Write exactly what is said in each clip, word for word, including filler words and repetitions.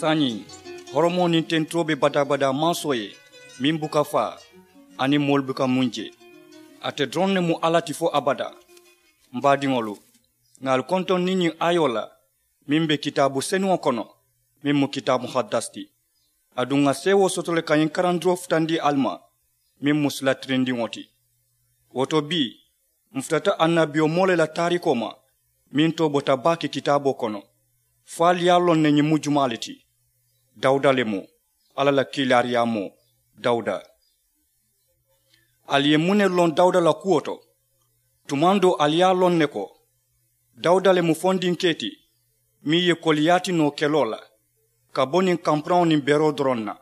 Saayiŋ, horomoo niŋ tenturoo be badaa-badaa mansoo ye, meŋ buka faa, aniŋ moolu buka muŋ je. Ate doroŋ ne mu alla ti fo abadaa. M baadiŋolu, ŋà ali kontoŋ niŋ ñiŋ aayoo la, meŋ be kitaabu senuŋo kono, meŋ mu kitaabu muhaddasi ti. Aduŋ ŋà seewoo soto le ka ñiŋ karandiroo futandi ali ma, meŋ mu sila tirindiŋo ti. Wo to bii, m futata annabiyomoo le la taariikoo ma, meŋ too bota baake kitaaboo kono, fo ali ye a loŋ ne ñiŋ mu jumaa le ti. Dawuda le mu, alla la kiilaariyaamoo. Dawuda. Ali ye muŋ ne loŋ dawuda la kuwo to? Tumaŋ doo ali ye a loŋ ne ko, dawuda le mu fondinkee ti, meŋ ye koliyaati noo keloo la, ka bo niŋ kampuraŋo niŋ beroo doroŋ na.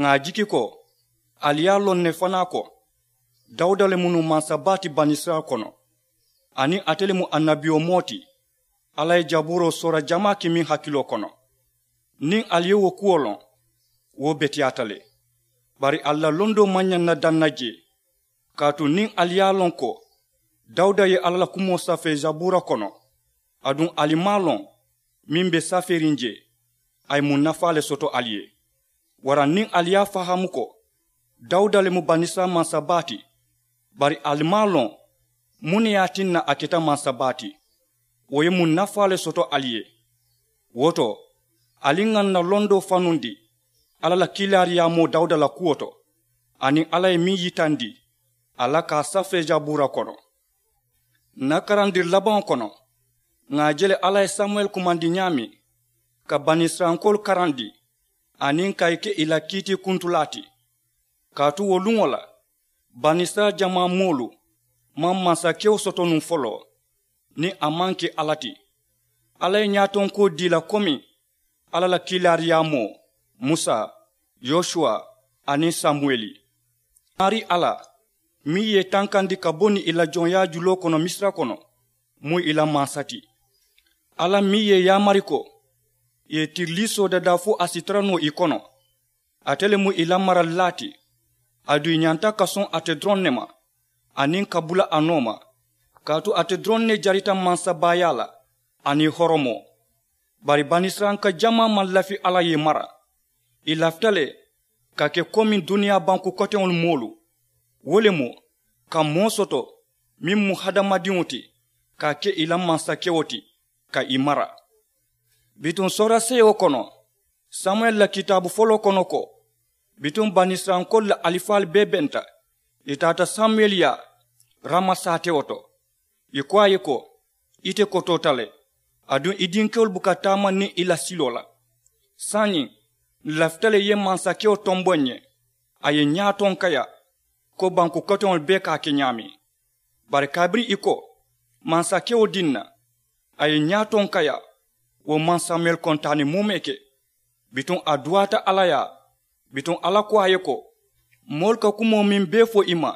Ŋà a jiki ko, ali ye a loŋ ne fanaa ko, dawuda le mu nuŋ mansa baa ti banisirayila kono, aniŋ ate le mu annabiyomoo ti. Alla ye jabuuroo soora jamaa ke meŋ hakiloo kono. Niŋ ali ye wo kuwo loŋ, wo beteyaata le. Bari ali la londoo maŋ ñaŋ na daŋ na jee. Kaatu niŋ ali ye a loŋ ko, dawuda ye alla la kumoo safee jabuura kono, aduŋ ali maŋ a loŋ meŋ be safeeriŋ jee, a ye muŋ nafaa le soto ali ye? Waraŋ niŋ ali ye a fahaamu ko, dawuda le mu banisirayila mansa baa ti, bari ali maŋ a loŋ muŋ ne ye a tinna a keta mansa baa ti, wo ye muŋ nafaa le soto ali ye? Wo to, ali ŋà n na londoo fanundi alla la kiilaariyaamoo dawuda la kuwo to, aniŋ alla ye meŋ yitandi a la ka a safee jabuura kono. N na karandiri labaŋo kono, ŋà a je le alla ye samuwɛli kumandi ñaameŋ, ka banisirayilankoolu karandi, aniŋ ka ì ke ì la kiitiikuntulaa ti. Kaatu wo luŋo la, banisirayila jamaa moolu maŋ mansakewo soto nuŋ foloo, niŋ a maŋ ke alla ti. Alla ye ñaatonkoo dii ì la komi alla la kiilaariyaamoo, musa, yosuwa, aniŋ samuwɛli. Maarii alla, meŋ ye ì tankandi ka bo niŋ ì la joŋyaa juloo kono misira kono, mu ì la mansa ti. Alla meŋ ye ì yaamari ko, ì ye tiriliisoo dadaa fo a si tara noo ì kono, ate le mu ì la maralilaa ti. Aduŋ ì ñanta ka soŋ ate doroŋ ne ma, aniŋ ka bula a nooma, kaatu ate doroŋ ne jarita mansabaayaa la, aniŋ horomoo. Bari banisirayilanka jamaa maŋ lafi alla ye ì mara. Ì lafita le ka ke komi duniyaa banku koteŋolu moolu, wo le mu, ka moo soto meŋ mu hadamadiŋo ti, ka a ke ì la mansakewo ti, ka ì mara. Bituŋ sooraseeyo kono, samuwɛli la kitaabu foloo kono ko, bituŋ banisirayilankoolu la alifaalu bee benta, ì taata samuwɛli yaa, rama saatewo to. Ì ko a ye ko, ite kotoota le, aduŋ i dinkewolu buka taama niŋ i la siloo la. Saayiŋ, n lafita le i ye mansakewo tomboŋ n ye. A ye ñaatonkayaa, ko banku koteŋolu bee ka a ke ñaameŋ. Bari kabiriŋ ì ko, mansakewo diŋ na, a ye ñaatonkayaa, wo maŋ samuwɛli kontaani muume ke. Bituŋ a duwaata alla yaa. Bituŋ alla ko a ye ko, moolu ka kumoo meŋ bee fo i ma,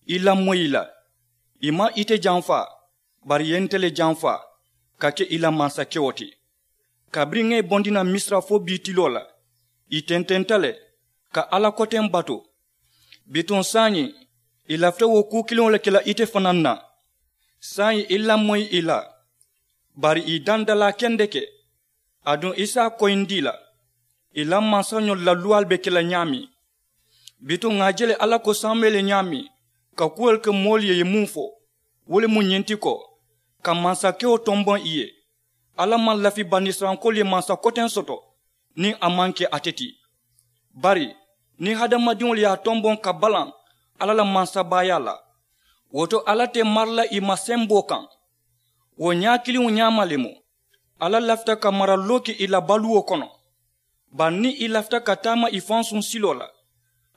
i lamoyi ì la. Ì maŋ ite janfa, bari ì ye nte le janfa, ka ke i la mansakewo ti. Kabiriŋ ŋa ì bondi naŋ misira fo bii tiloo la, ì tententa le ka alla koteŋ batu. Bituŋ saayiŋ, ì lafita wo kuu kiliŋo le ke la ite fanaa na. Saayiŋ i lamoyi ì la, bari ì dandalaa kendeke. Aduŋ i si a koyindi ì la, ì la mansañolu la luwaalu be ke la ñaameŋ. Bituŋ ŋà a je le alla ko samuwɛli ye ñaameŋ, ka kuwolu ke moolu ye ì ye muŋ fo, wo le mu ñiŋ ti ko, ka mansakewo tomboŋ ì ye. Alla maŋ lafi banisirayilankoolu ye mansa koteŋ soto niŋ a maŋ ke ate ti. Bari niŋ hadamadiŋolu ye a tomboŋ ka balaŋ alla la mansabaayaa la, wo to alla te mara la ì ma semboo kaŋ. Wo ñaa kiliŋo ñaama le mu, alla lafita ka maraliloo ke ì la baluwo kono. Bari niŋ ì lafita ka taama ì fansuŋ siloo la,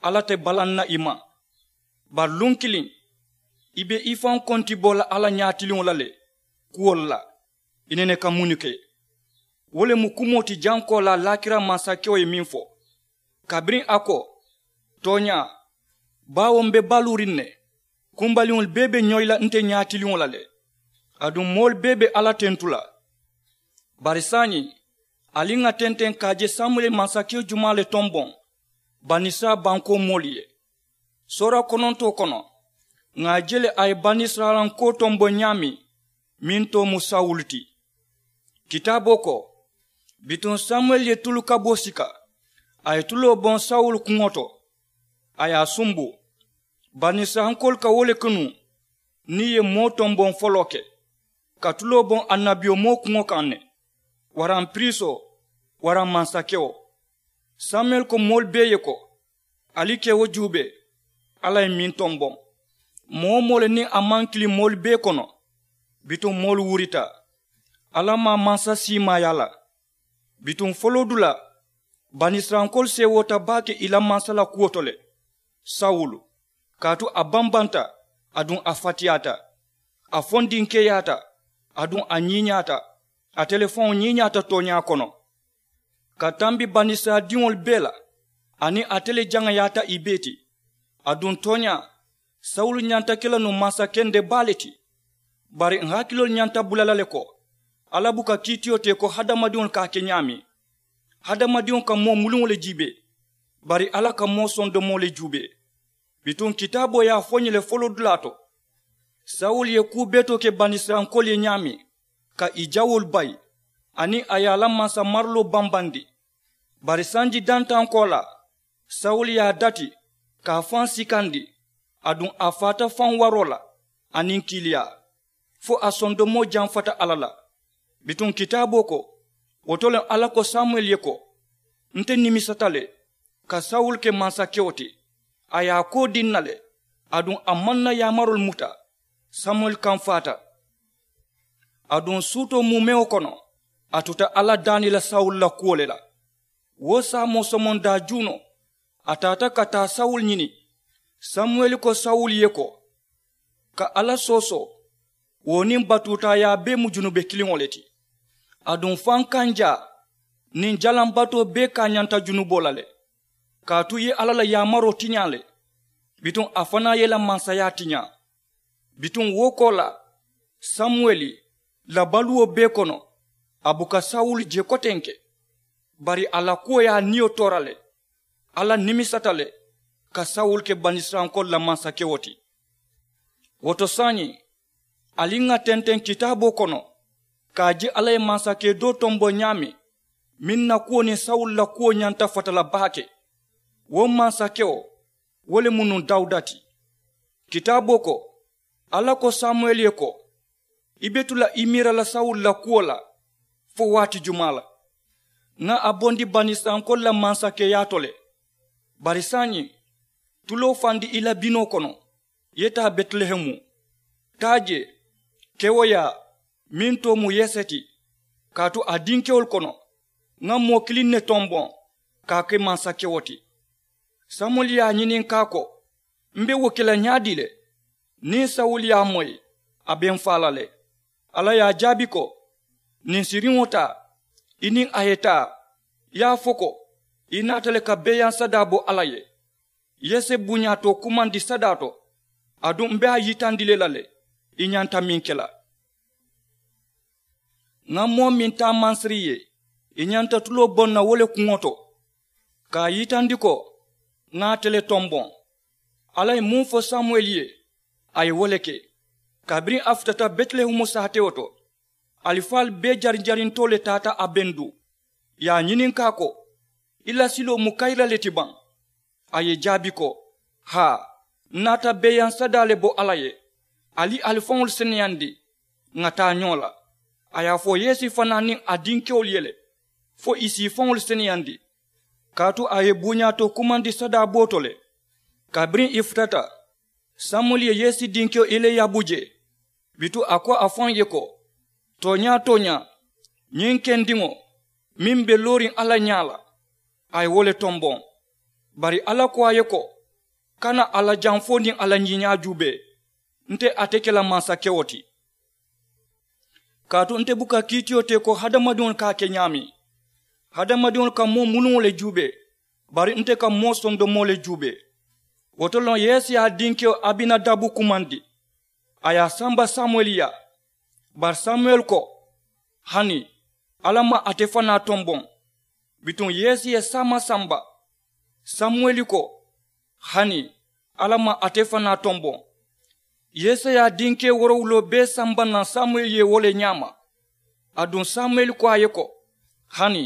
alla te balaŋ na ì ma. Bari luŋ kiliŋ, i be i faŋ konti bo la alla ñaatiliŋo la le, kuwolu la i nene ka munnu ke. Wo le mu kumoo ti jankoolaa laakira mansakewo ye meŋ fo, kabiriŋ a ko, tooñaa, baawo m be baluuriŋ ne, kumbaliŋolu bee be ñoyi la nte ñaatiliŋo la le. Aduŋ moolu bee be alla tentu la. Bari saayiŋ, ali ŋà tenteŋ ka a je samuwɛli ye mansakewo jumaa le tomboŋ banisirayila bankoo moolu ye? Soora konontoo kono, ŋà a je le a ye banisirayilankoo tomboŋ ñaameŋ, meŋ too mu sawulu ti. Kitaaboo ko, Bituŋ samuwɛli ye tulu kaboo sika. A ye tuloo boŋ sawulu kuŋo to. A ye a sumbu. Banisirayilankoolu ka wo le ke nuŋ niŋ ì ye moo tomboŋ foloo ke, ka tuloo boŋ annabiyomoo kuŋo kaŋ ne, waraŋ piriisoo, waraŋ mansakewo. Samuwɛli ko moolu bee ye ko, ali ke wo juubee. Alla ye meŋ tomboŋ, moo-wo-moo le niŋ a maŋ kili moolu bee kono. Bituŋ moolu wurita. Alla maŋ mansa siimaaya la. Bituŋ foloodulaa, banisirayilankoolu seewoota baake ì la mansa la kuwo to le. Sawulu, kaatu a bambanta, aduŋ a fatiyaata. A fondinkeeyaata, aduŋ a ñiiñaata. Ate le faŋo ñiiñaata tooñaa kono, ka tambi banisirayila diŋolu bee la. Aniŋ ate le jaŋayaata ì bee ti. Aduŋ tooñaa, sawulu ñanta ke la nuŋ mansa kende baa le ti. Bari ǹ hakiloolu ñanta bula la le ko, alla buka kiitiyo te ko hadamadiŋolu ka a ke ñaameŋ. Hadamadiŋo ka moo muluŋo le juubee, bari alla ka moo sondomoo le juubee. Bituŋ kitaaboo ye a fo ñiŋ le foloodulaa to, sawulu ye kuu betoo ke banisirayilankoolu ye ñaameŋ, ka ì jawoolu bayi, aniŋ a ye a la mansamaraloo bambandi. Bari sanji dantaŋ koolaa, sawulu ye a dati, ka a faŋ sikandi, aduŋ a faata faŋ waroo la, aniŋ kiiliyaa, fo a sondomoo jamfata alla la. Bituŋ kitaaboo ko, wo to le alla ko samuwɛli ye ko, nte nimisata le ka sawulu ke mansakewo ti. A ye a koo dii ǹ na le, aduŋ a maŋ ǹ na yaamaroolu muta. Samuwɛli kamfaata. Aduŋ suutoo muumewo kono, a tuta alla daani la sawulu la kuwo le la. Wo saamoo somondaa juunoo, a taata ka taa sawulu ñini. Samuwɛli ko sawulu ye ko, ka alla soosoo, wo niŋ batuutaayaa bee mu junube kiliŋo le ti. Aduŋ fankanjaa niŋ jalaŋ batoo bee kaañanta junuboo la le. Kaatu ì ye alla la yaamaroo tiñaa le, bituŋ a fanaa ye ì la mansayaa tiñaa. Bituŋ wo koolaa, samuwɛli la baluwo bee kono, a buka sawulu je kotenke. Bari a la kuwo ye a niyo toora le. Alla nimisata le ka sawulu ke banisirayilankoolu la mansakewo ti. Wo to saayiŋ, ali ŋà tenteŋ kitaaboo kono, ka a je alla ye mansakee doo tomboŋ ñaameŋ, meŋ na kuwo niŋ sawulu la kuwo ñanta fata la baake. Wo mansakewo, wo le mu nuŋ dawuda ti. Kitaaboo ko, alla ko samuwɛli ye ko, i be tu la i miira la sawulu la kuwo la fo waati jumaa la? Ŋà a bondi banisirayilankoolu la mansakeyaa to le. Bari saayiŋ, tuloo fandi i la binoo kono, i ye taa betilehemu. Taa jee, kewoyaa, meŋ too mu yese ti, kaatu a dinkewolu kono, ŋà moo kiliŋ ne tomboŋ ka a ke mansakewo ti. Samuwɛli ye a ñininkaa ko, m be wo ke la ñaadii le? Niŋ sawulu ye a moyi, a be m faa la le. Alla ye a jaabi ko, ninsiriŋo taa, i niŋ a ye taa, i ye a fo ko, i naata le ka beeyaŋ sadaa bo alla ye. Yese buñaa to kumandi sadaa to, aduŋ m be a yitandi le la le, i ñanta meŋ ke la. Ŋà moo meŋ taa mansiri ye, i ñanta tuloo boŋ na wo le kuŋo to, ka a yitandi ko, ŋà ate le tomboŋ. Alla ye muŋ fo samuwɛli ye, a ye wo le ke. Kabiriŋ a futata betilehemu saatewo to, alifaalu bee jarinjarintoo le taata a bendu, i ye a ñininkaa ko, i la siloo mu kayira le ti baŋ? A ye jaabi ko, haa, n naata beeyaŋ sadaa le bo alla ye. Ali ali faŋolu seneyandi, ŋà taa ñoo la. A ye a fo yese fanaa niŋ a dinkewolu ye le, fo ì si ì faŋolu seneyandi. Kaatu a ye buñaa to kumandi sadaa boo to le. Kabiriŋ ì futata, samuwɛli ye yese dinkewo eliyabu je. Bituŋ a ko a faŋ ye ko, tooñaa tooñaa, ñiŋ kendiŋo meŋ be looriŋ alla ñaa la, a ye wo le tomboŋ. Bari alla ko a ye ko, kana a la jamfoo niŋ a la ñiiñaa juubee. Nte ate ke la mansakewo ti. Kaatu nte buka kiitiyo te ko hadamadiŋolu ka a ke ñaameŋ. Hadamadiŋolu ka moo muluŋo le juubee, bari nte ka moo sondomoo le juubee. Wo to loŋ yese ye a dinkewo abinadabu kumandi, a ye a samba samuwɛli yaa. Bari samuwɛli ko, hani, alla maŋ ate fanaa tomboŋ. Bituŋ yese ye saama samba. Samuwɛli ko, hani, alla maŋ ate fanaa tomboŋ. Yese ye a dinkewo woorowuloo bee samba naŋ samuwɛli ye wo le ñaama. Aduŋ samuwɛli ko a ye ko, Hani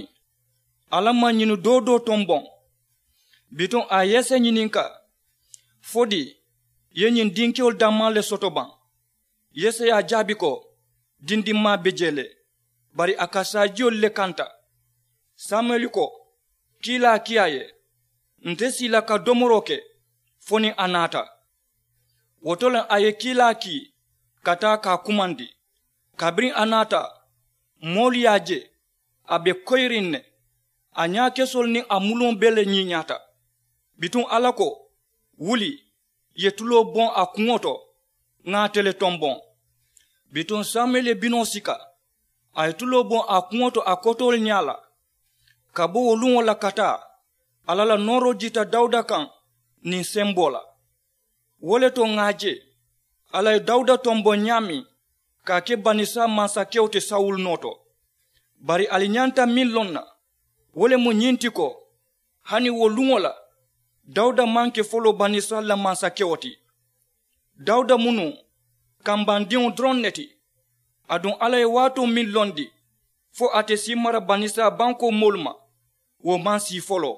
alla maŋ ñini doo doo tomboŋ. Bituŋ a ye yese ñininka, fo di i ye ñiŋ dinkewolu dammaa le soto baŋ? Yese ye a jaabi ko, dindimmaa be jee le, bari a ka saajiyolu le kanta. Samuyeli ko, kiilaa kii a ye, nte sii la ka domoroo ke fo niŋ a naata. Wo to le a ye kiilaa kii ka taa ka a kumandi. Kabiriŋ a naata, moolu ye a je a be koyiriŋ ne. A ñaakesoolu niŋ a muluŋo bee le ñiiñaata. Bituŋ alla ko, wuli, i ye tuloo boŋ a kuŋo to, ŋa ate le tomboŋ. Bituŋ samuyeli ye binoo sika, a ye tuloo boŋ a kuŋo to a kotoolu ñaa la. Ka bo wo luŋo la ka taa, alla la nooroo jiita dawuda kaŋ niŋ semboo la. Wo le to ŋà a je, alla ye dawuda tomboŋ ñaameŋ ka a ke banisirayila mansakewo ti sawulu noo to. Bari ali ñanta meŋ loŋ na, wo le mu ñiŋ ti ko, hani wo luŋo la, dawuda maŋ ke foloo banisirayila la mansakewo ti. Dawuda mu nuŋ kambandiŋo doroŋ ne ti. Aduŋ alla ye waatoo meŋ londi fo ate si mara banisirayila bankoo moolu ma, wo maŋ sii foloo.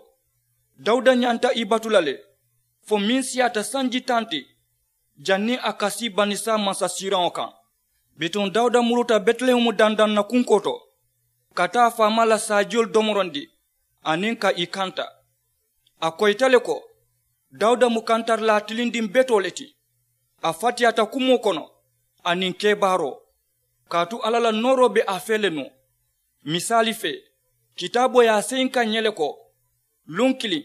Dawuda ñanta i batu la le fo meŋ siyaata sanji taŋ ti, janniŋ a ka sii banisirayila mansasiiraŋo kaŋ. Bituŋ dawuda muruta betilehemu dandaŋ na kunkoo to, ka taa a faamaa la saajiyolu domorondi aniŋ ka ì kanta. A koyita le ko, dawuda mu kantarilaa tilindiŋ betoo le ti. A fatiyaata kumoo kono aniŋ kebaaroo, kaatu alla la nooroo be a fee le nuŋ. Misaali fee, kitaaboo ye a seyinka ǹ ye le ko, luŋ kiliŋ,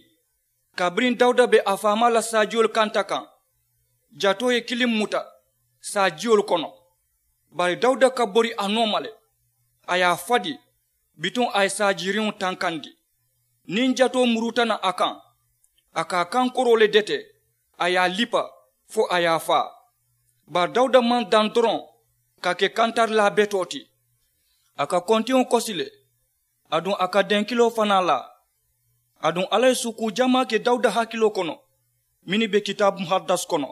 kabiriŋ dawuda be a faamaa la saajiyolu kanta kaŋ, jatoo ye kiliŋ muta saajiyolu kono. Bari dawuda ka bori a nooma le, a ye a fadi, bituŋ a ye saajiriŋo tankandi. Niŋ jatoo muruta naŋ a kaŋ, a ka a kankoroo le dete, a ye a lipa fo a ye a faa. Bari dawuda maŋ daŋ doroŋ ka ke kantarilaa betoo ti. A ka kontiŋo kosi le, aduŋ a ka denkiloo fanaa laa. Aduŋ alla ye suukuu jamaa ke dawuda hakiloo kono, mennu be kitaabu muhadasi kono,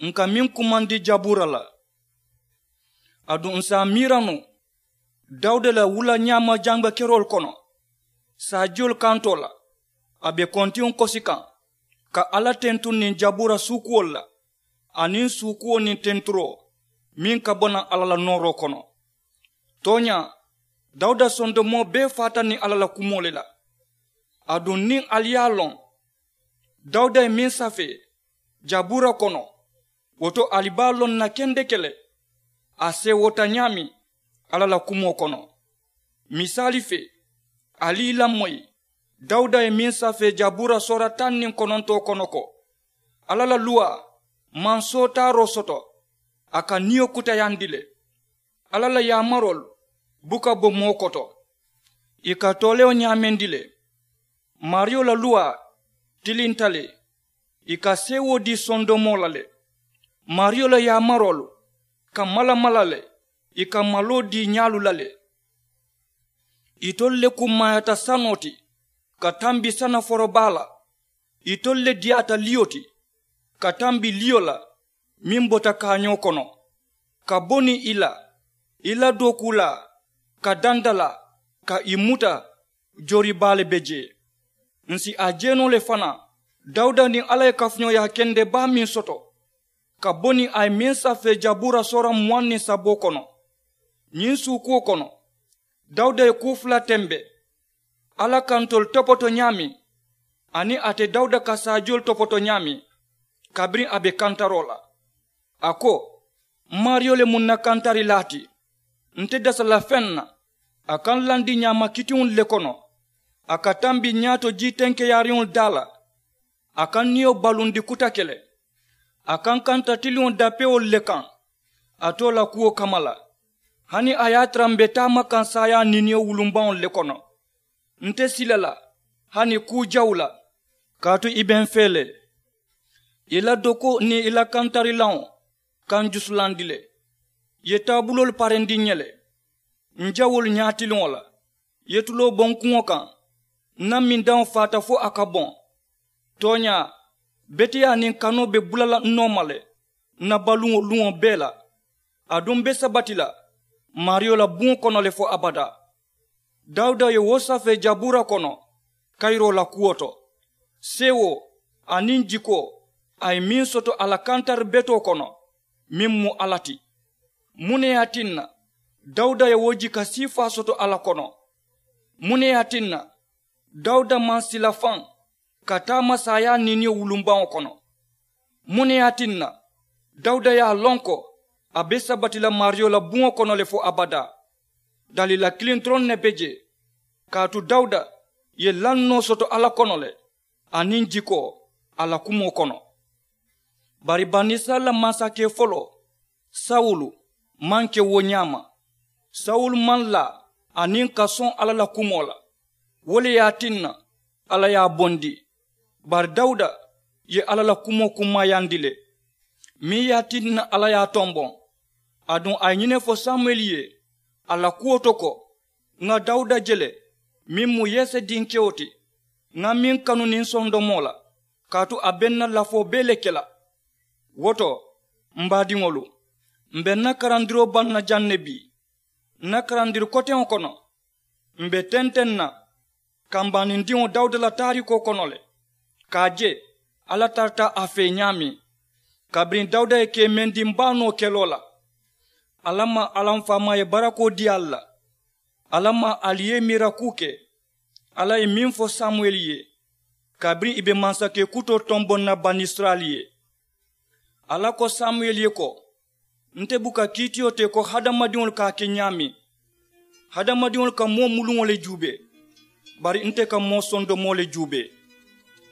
ǹ ka meŋ kumandi jabuura la. Aduŋ ǹ si a miira nuŋ, dawuda la wula ñaama jaŋbakeroolu kono, saajiyolu kantoo la, a be kontiŋo kosi kaŋ, ka alla tentuŋ niŋ jabuura suukuwolu la, aniŋ suukuwo niŋ tenturoo meŋ ka bo naŋ alla la nooroo kono. Tooñaa, dawuda sondomoo bee faata niŋ alla la kumoo le la. Aduŋ niŋ ali ye a loŋ, dawuda ye meŋ safee jabuura kono, wo to ali be a loŋ na kendeke le a seewoota ñaameŋ alla la kumoo kono. Misaali fee, ali i lamoyi dawuda ye meŋ safee jabuura soora taŋ niŋ konontoo kono ko, alla la luwaa maŋ sootaaroo soto, a ka niyo kutayandi le. Alla la yaamaroolu buka bo moo koto, ì ka toolewo ñaamendi le. Maariyo la luwaa tilinta le, ì ka seewoo dii sondomoo la le. Maariyo la yaamaroolu ka mala mala le, ì ka maloo dii ñaalu la le. Itolu le kummaayaata sanoo ti ka tambi sana forobaa la. Itolu le diyaata liyo ti ka tambi liyo la meŋ bota kaañoo kono, ka bo niŋ i la i la dookuulaa ka dandalaa ka i muta. Joori baa le be jee. Ǹ si a je noo le fanaa dawuda niŋ alla ye kafuñooyaa kende baa meŋ soto ka bo niŋ a ye meŋ safee jabuura soora muwaŋ niŋ saboo kono. Ñiŋ suukuwo kono, dawuda ye kuu fula tembe, alla ka ntolu topoto ñaameŋ aniŋ ate dawuda ka saajiyolu topoto ñaameŋ. Kabiriŋ a be kantaroo la, a ko, m maariyo le mu n na kantarilaa ti. Nte dasa la feŋ na a ka n landi ñaama kitiŋolu le kono. A ka tambi ñaato jii tenkeyaariŋolu daa la. A ka n niyo balundi kutake le. A ka n kanta tiliŋo dapewolu le kaŋ a too la kuwo kamma la. Hani a ye a tara m be taama kaŋ saayaa niiniyo wulumbaŋolu le kono. Nte sila la hani kuu jawu la, kaatu i be m fee le. I la dokoo niŋ i la kantarilaŋo ka n jusulandi le. I ye taabuloolu parendi n ye le. N jawoolu ñaatiliŋo la, i ye tuloo boŋ kuŋo kaŋ. N na mindaŋo faata fo a ka boŋ. Tooñaa, beteyaa niŋ kanoo be bula la n nooma le n na baluŋo luŋo bee la. Aduŋ m be sabati la maariyo la buŋo kono le fo abadaa. Dawuda ye wo safee jabura kono kayiroo la kuwo to. Seewoo aniŋ jikoo a ye meŋ soto a la kantari betoo kono, meŋ mu alla ti. Muŋ ne ye a tinna dawuda ye wo jiika siifaa soto alla kono? Muŋ ne ye a tinna dawuda maŋ sila faŋ ka taama saayaa niiniyo wulumbaŋo kono? Muŋ ne ye a tinna dawuda ye a loŋ ko a be sabati la maariyo la buŋo kono le fo abadaa? Daliila kiliŋ doroŋ ne be jee. Kaatu dawuda ye lannoo soto alla kono le aniŋ jikoo a la kumoo kono. Bari banisirayila mansakee foloo sawulu maŋ ke wo ñaama. Sawulu maŋ laa aniŋ ka soŋ alla la kumoo la. Wo le ye a tinna alla ye a bondi. Bari dawuda ye alla la kumoo kummaayandi le meŋ ye a tinna alla ye a tomboŋ. Aduŋ a ye ñiŋ ne fo samuyeli ye a la kuwo to ko, ŋa dawuda je le meŋ mu yese dinkewo ti. Ŋa meŋ kanu niŋ sondomoo la kaatu a be n na lafoo bee le ke la. Wo to m baadiŋolu, m be n na karandiroo baŋ na jaŋ ne bii. N na karandiri koteŋo kono m be tenteŋ na kambaanindiŋo dawuda la taariikoo kono le ka a je alla tarata a fee ñaameŋ. Kabiriŋ dawuda ye keemendiŋ baa noo keloo la, alla maŋ alla m faamaa ye barakoo dii ali la. Alla maŋ ali ye miira kuu ke alla ye meŋ fo samuyeli ye kabiriŋ ì be mansakee kutoo tomboŋ na banisirayila ye. Alla ko samuyeli ye ko, nte buka kiitiyo te ko hadamadiŋolu ka a ke ñaameŋ. Hadamadiŋolu ka moo muluŋo le juubee bari nte ka moo sondomoo le juubee.